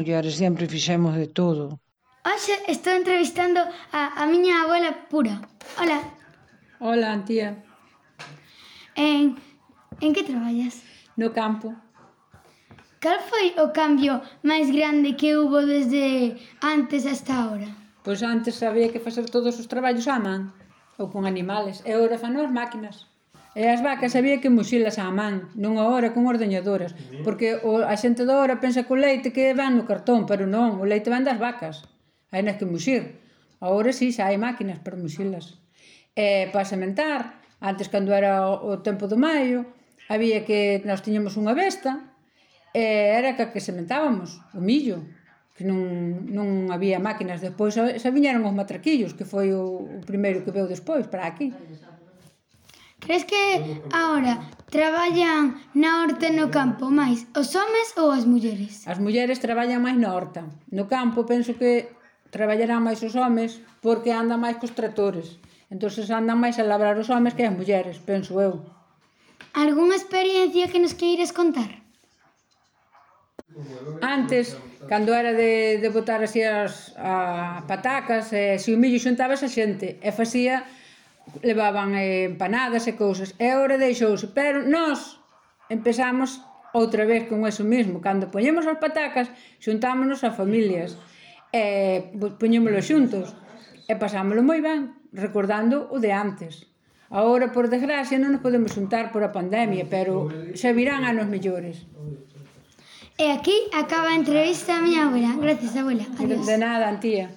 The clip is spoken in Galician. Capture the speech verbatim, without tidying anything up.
mulleres sempre fixemos de todo. Hoxe estou entrevistando a, a miña abuela Pura. Hola. Hola, tía. En, en que traballas? No campo. Cal foi o cambio máis grande que hubo desde antes hasta ahora? Pois antes había que facer todos os traballos á man, ou con animales, e agora fan as máquinas. E as vacas había que muxilas á man, nunha hora con ordeñadoras, porque o, a xente da hora pensa que o leite que van no cartón, pero non, o leite van das vacas, hai nas que muxir. Agora sí, xa hai máquinas para muxilas. E para sementar, antes cando era o, o tempo do maio, había que, nós tiñamos unha besta, e era que, que sementábamos o millo, que non, non había máquinas. Despois xa viñeron os matraquillos, que foi o, o primeiro que veu despois para aquí. Crees que agora traballan na horta e no campo máis os homes ou as mulleres? As mulleres traballan máis na horta. No campo penso que traballarán máis os homes porque andan máis cos tractores. Entón andan máis a labrar os homes que as mulleres, penso eu. Algúnha experiencia que nos queires contar? Antes, cando era de, de botar así as a patacas, e se o millo xuntaba esa xente e facía, levaban eh, empanadas e cousas, e agora deixouse, pero nós empezamos outra vez con eso mismo, cando poñemos as patacas xuntámonos as familias e poñémolo xuntos e pasámoslo moi ben, recordando o de antes. Agora, por desgracia, non nos podemos xuntar por a pandemia, pero xa virán anos mellores. E aquí acaba a entrevista a miña abuela. Gracias, abuela. Adiós. De nada, tía.